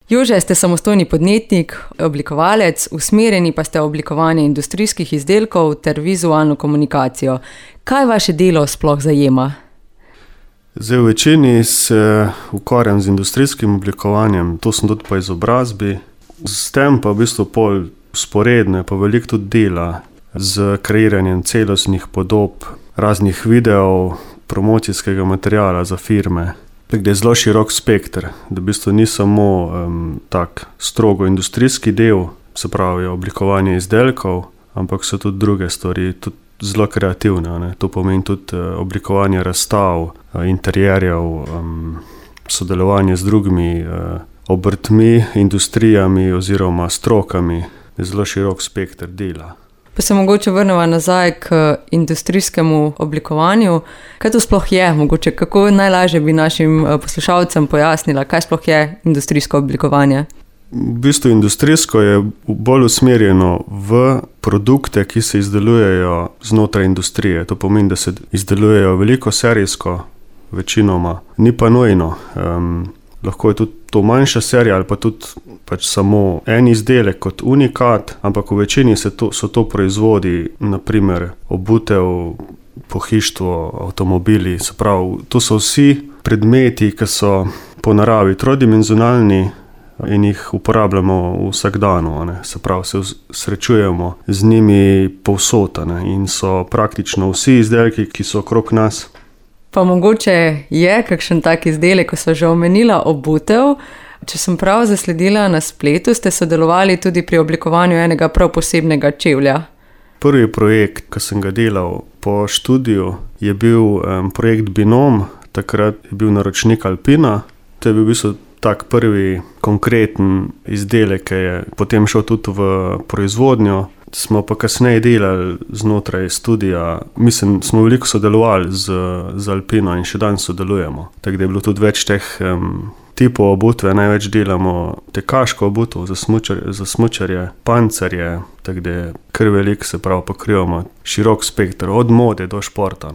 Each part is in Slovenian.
Jože, ste samostojni podjetnik, oblikovalec, usmerjeni pa ste v oblikovanje industrijskih izdelkov ter vizualno komunikacijo. Kaj vaše delo sploh zajema? Zdaj, v večini se ukvarjam z industrijskim oblikovanjem, to sem tudi po izobrazbi. S tem pa v bistvu pol sporedno je pa veliko tudi dela z kreiranjem celostnih podob, raznih videov, promocijskega materiala za firme. Tako je zelo širok spekter, da v bistvu ni samo tak strogo industrijski del, se pravi oblikovanje izdelkov, ampak so tudi druge stvari, tudi zelo kreativne. Ne? To pomeni tudi oblikovanje razstav, interjerjev, sodelovanje z drugimi obrtmi, industrijami oziroma strokami. Je zelo širok spekter dela. Pa se mogoče vrnemo nazaj k industrijskemu oblikovanju. Kaj to sploh je? Mogoče kako najlažje bi našim poslušalcem pojasnila, kaj sploh je industrijsko oblikovanje? V bistvu industrijsko je bolj usmerjeno v produkte, ki se izdelujejo znotraj industrije. To pomeni, da se izdelujejo veliko serijsko, večinoma. Ni pa nujno. Lahko je tudi to manjša serija ali pa tudi samo en izdelek kot unikat, ampak v večini so to proizvodi, naprimer obutev, pohištvo, avtomobili. Se pravi, to so vsi predmeti, ki so po naravi trodimenzionalni in jih uporabljamo vsak dan. Se pravi, se srečujemo z njimi povsod in so praktično vsi izdelki, ki so okrog nas. Pa mogoče je kakšen tak izdelek, ko so že omenila obutev. Če sem prav zasledila na spletu, ste sodelovali tudi pri oblikovanju enega prav posebnega čevlja. Prvi projekt, ki sem ga delal po študiju, je bil projekt Binom, takrat je bil naročnik Alpina. To je bil v bistvu tak prvi konkreten izdelek, ki je potem šel tudi v proizvodnjo. Smo pa kasneje delali znotraj studija, mislim, smo veliko sodelovali z Alpino in še danes sodelujemo. Tako da je bilo tudi več teh tipov obutve, največ delamo tekaško obutev za smučarje, pancerje, tako da je kar veliko, se pravi, pokrivamo širok spekter, od mode do športa.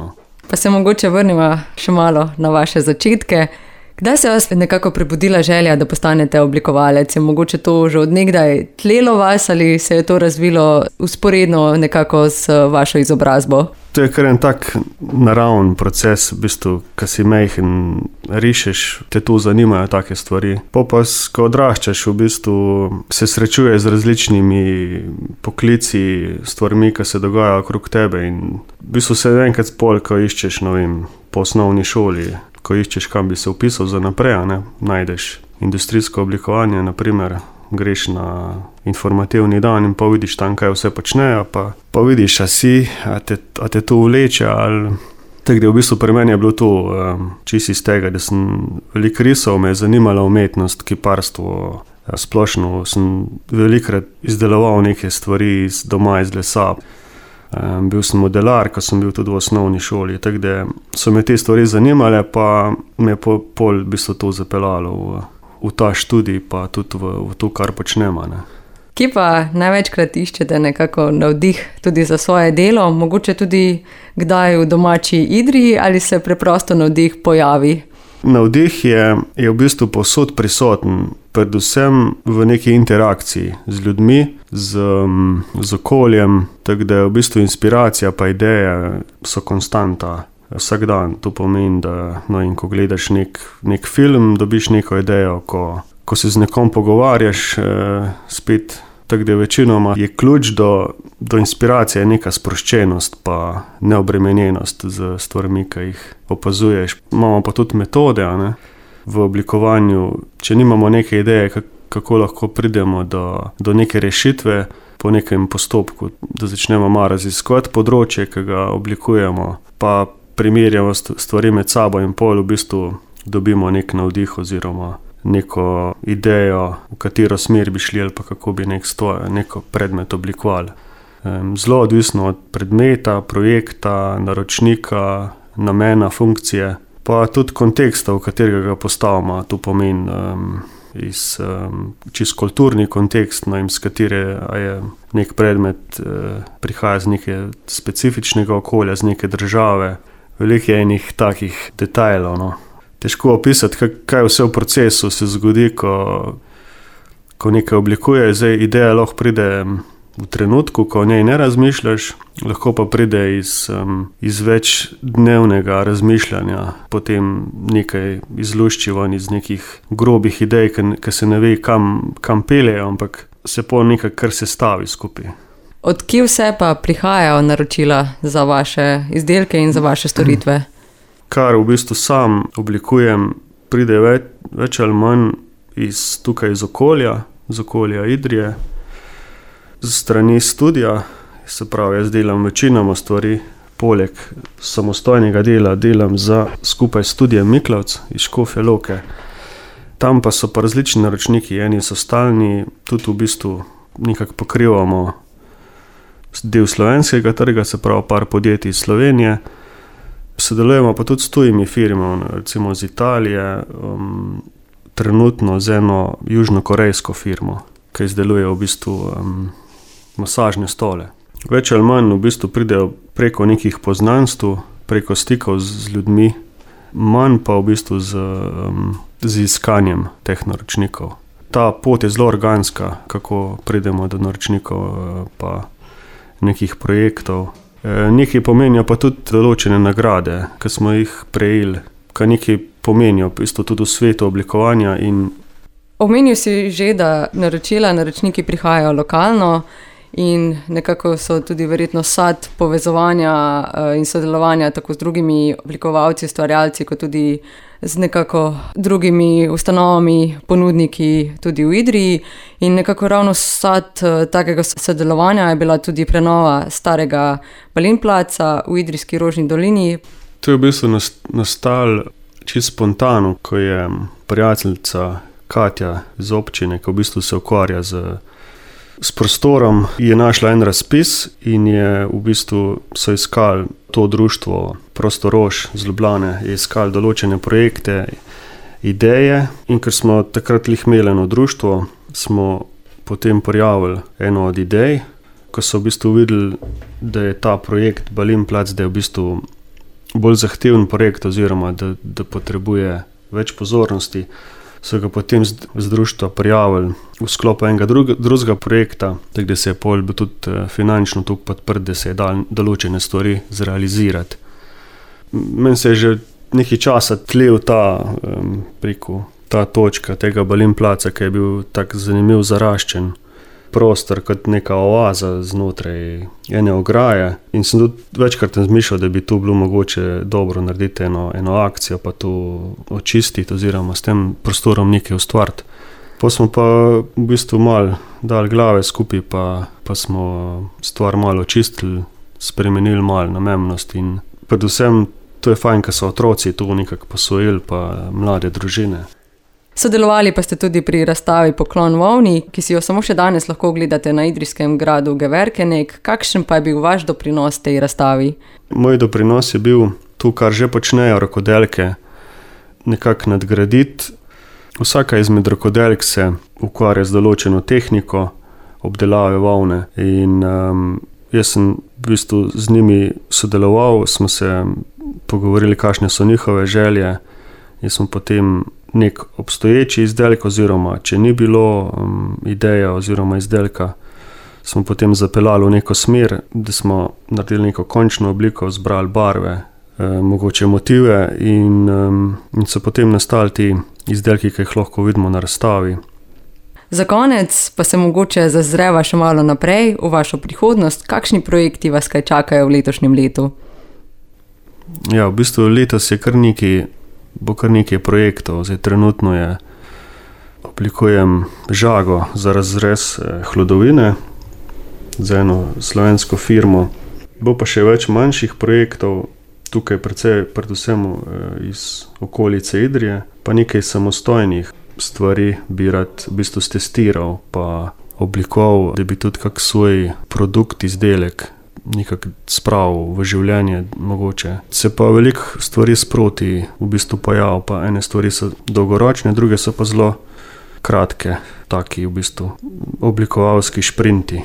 Pa se mogoče vrnimo še malo na vaše začetke. Kdaj se vas nekako prebudila želja, da postanete oblikovalec? Je mogoče to že od nekdaj tlelo vas ali se je to razvilo usporedno nekako z vašo izobrazbo? To je kar en tak naraven proces, v bistvu, ko si majhen, rišeš, te to zanimajo take stvari. Pa, ko odraščaš, v bistvu se srečuje z različnimi poklici, stvarmi, ki se dogajajo okrog tebe in v bistvu se enkrat spol, ko iščeš, po osnovni šoli, ko iščeš, kam bi se vpisal za naprej, najdeš industrijsko oblikovanje, naprimer, greš na informativni dan in pa vidiš tam, kaj vse počnejo, pa vidiš, a te to vleče, ali... Tako da v bistvu pri meni je bilo to čisto iz tega, da sem veliko risal, me je zanimala umetnost, kiparstvo, splošno sem velikokrat izdeloval neke stvari doma iz lesa. Bil sem modelar, ko sem bil tudi v osnovni šoli, tako da so me te stvari zanimale, pa me je pol v bistvu to zapeljalo v ta študij, pa tudi v to, kar počnemo. Kje pa največkrat iščete nekako navdih tudi za svoje delo, mogoče tudi kdaj v domači Idriji ali se preprosto navdih pojavi? Navdih je v bistvu povsod prisoten, predvsem v neki interakciji z ljudmi, z okoljem, tako da je v bistvu inspiracija pa ideje so konstanta vsak dan. To pomeni, da ko gledaš nek film, dobiš neko idejo, ko se z nekom pogovarjaš spet, tako da večinoma je ključ do inspiracije neka sproščenost pa neobremenjenost z stvarmi, ki jih opazuješ. Imamo pa tudi metode v oblikovanju, če nimamo neke ideje, kako lahko pridemo do neke rešitve po nekem postopku, da začnemo malo raziskovati področje, ki ga oblikujemo, pa primerjamo stvari med sabo in pol v bistvu dobimo nek navdih oziroma neko idejo, v katero smer bi šli ali pa kako bi neko predmet oblikovali. Zelo odvisno od predmeta, projekta, naročnika, namena, funkcije, pa tudi konteksta, v katerega ga postavimo. To pomeni čisto kulturni kontekst, iz katere je nek predmet prihaja z neke specifičnega okolja, z neke države. Veliko je enih takih detajlov. Težko opisati, kaj vse v procesu se zgodi, ko nekaj oblikuješ, zdaj ideja lahko pride v trenutku, ko o njej ne razmišljaš, lahko pa pride iz večdnevnega razmišljanja, potem nekaj izlušči ven iz nekih grobih idej, ki se ne ve, kam peljejo, ampak se po nekaj kar se stavi skupaj. Od kje vse pa prihajajo naročila za vaše izdelke in za vaše storitve? Kar v bistvu sam oblikujem, pride več ali manj tukaj iz okolja Idrije, z strani studija, se pravi, jaz delam večinoma stvari, poleg samostojnega dela delam skupaj s studijem Miklavc iz Škofje Loke. Tam pa so pa različni naročniki, eni so stalni, tudi v bistvu nekako pokrivamo del slovenskega trga, se pravi par podjetij iz Slovenije. Sodelujemo pa tudi s tujimi firmami, recimo z Italije, trenutno z eno južnokorejsko firmo, ki izdeluje v bistvu masažne stole. Več ali manj v bistvu pridejo preko nekih poznanstv, preko stikov z ljudmi, manj pa v bistvu z iskanjem teh naročnikov. Ta pot je zelo organska, kako pridemo do naročnikov pa nekih projektov. Nekaj pomenijo pa tudi določene nagrade, ki smo jih prejeli, ki nekaj pomenijo v bistvu tudi v svetu oblikovanja. Omenil si že, da naročniki prihajajo lokalno in nekako so tudi verjetno sad povezovanja in sodelovanja tako z drugimi oblikovalci, ustvarjalci, kot tudi z nekako drugimi ustanovami, ponudniki tudi v Idriji. In nekako ravno sad takega sodelovanja je bila tudi prenova starega Balinplaca v idrijski Rožni dolini. To je v bistvu nastalo čisto spontano, ko je prijateljica Katja iz občine, ki v bistvu se ukvarja s prostorom, je našla en razpis in je v bistvu so iskali to društvo Prostorož z Ljubljane, je iskali določene projekte, ideje, in ker smo takrat imeli eno društvo, smo potem prijavili eno od idej, ko so v bistvu videli, da je ta projekt Balinplac, da je v bistvu bolj zahteven projekt oziroma da potrebuje več pozornosti, so ga potem z društva prijavili v sklopu enega drugega projekta, tako da se je pol tudi finančno tu podprt, da se je dal določene stvari zrealizirati. Meni se je že nekaj časa tlel ta točka tega Balinplaca, ki je bil tak zanimiv zaraščen prostor kot neka oaza znotraj ene ograje, in sem tudi večkrat razmišljal, da bi tu bilo mogoče dobro narediti eno akcijo, pa to očistiti oziroma s tem prostorom nekaj ustvariti. Pa smo pa v bistvu malo dali glave skupaj, pa smo stvar malo očistili, spremenili malo namembnost, in predvsem to je fajn, ker so otroci tu nekako posvojili, pa mlade družine. Sodelovali pa ste tudi pri razstavi Poklon volni, ki si jo samo še danes lahko ogledate na idrijskem gradu Geverkenek. Kakšen pa je bil vaš doprinos tej razstavi? Moj doprinos je bil to, kar že počnejo rokodelke, nekako nadgraditi. Vsaka izmed rokodelk se ukvarja z določeno tehniko obdelave volne in jaz sem v bistvu z njimi sodeloval, smo se pogovorili, kakšne so njihove želje, in smo potem nek obstoječi izdelek, oziroma če ni bilo ideja oziroma izdelka, smo potem zapeljali v neko smer, da smo naredili neko končno obliko, zbrali barve, mogoče motive, in so potem nastali ti izdelki, ki jih lahko vidimo na razstavi. Za konec pa se mogoče zazreva še malo naprej v vašo prihodnost. Kakšni projekti vas kaj čakajo v letošnjem letu? Ja, v bistvu letos je bo kar nekaj projektov. Zdaj trenutno oblikujem žago za razrez hlodovine za eno slovensko firmo. Bo pa še več manjših projektov, tukaj predvsem iz okolice Idrije, pa nekaj samostojnih stvari bi rad v bistvu stestiral, pa oblikoval, da bi tudi kak svoj produkt, izdelek nekako spravil v življenje mogoče. Se pa veliko stvari sproti v bistvu pojavil, pa ene stvari so dolgoročne, druge so pa zelo kratke, taki v bistvu oblikovalski šprinti.